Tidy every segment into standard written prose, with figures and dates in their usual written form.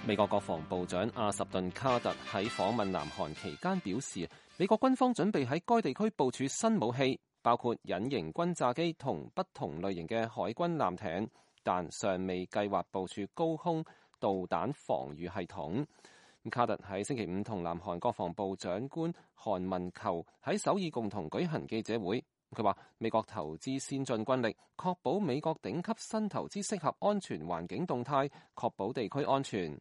美國國防部長阿什頓卡特喺訪問南韓期間表示，美國軍方準備喺該地區部署新武器，包括隱形轟炸機同不同類型嘅海軍艦艇，但尚未計劃部署高空導彈防禦系統。卡特喺星期五同南韓國防部長官韓文裘喺首爾共同舉行記者會。佢話美國投資先進軍力，確保美國頂級新投資適合安全環境動態，確保地區安全。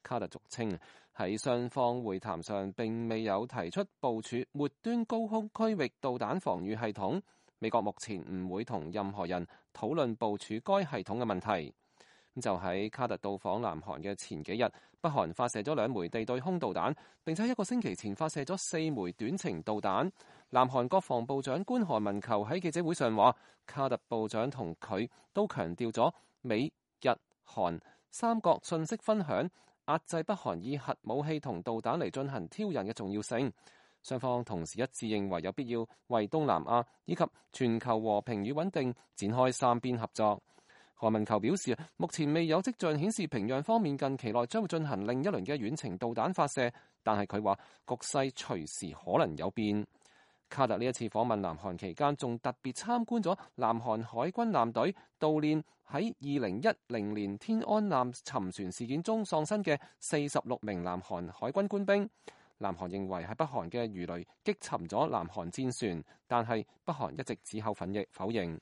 卡特俗稱喺雙方會談上並未有提出部署末端高空區域導彈防禦系統。美國目前唔會同任何人討論部署該系統嘅問題。就喺卡特到訪南韓嘅前幾日，北韓發射咗2枚地對空導彈，並且1個星期前發射咗4枚短程導彈。南韓國防部長官韓文裘喺記者會上話，卡特部長同佢都強調咗美日韓三國信息分享，壓制北韓以核武器同導彈嚟進行挑釁嘅重要性。雙方同時一致認為有必要為東南亞以及全球和平與穩定展開三邊合作。韓文裘表示，目前未有跡象顯示平壤方面近期內將會進行另一輪嘅遠程導彈發射，但係佢話局勢隨時可能有變。卡特呢一次訪問南韓期間，仲特別參觀咗南韓海軍艦隊悼念喺2010年天安艦沉船事件中喪生嘅46名南韓海軍官兵。南韓認為係北韓嘅魚雷擊沉咗南韓戰船，但係北韓一直只口否認。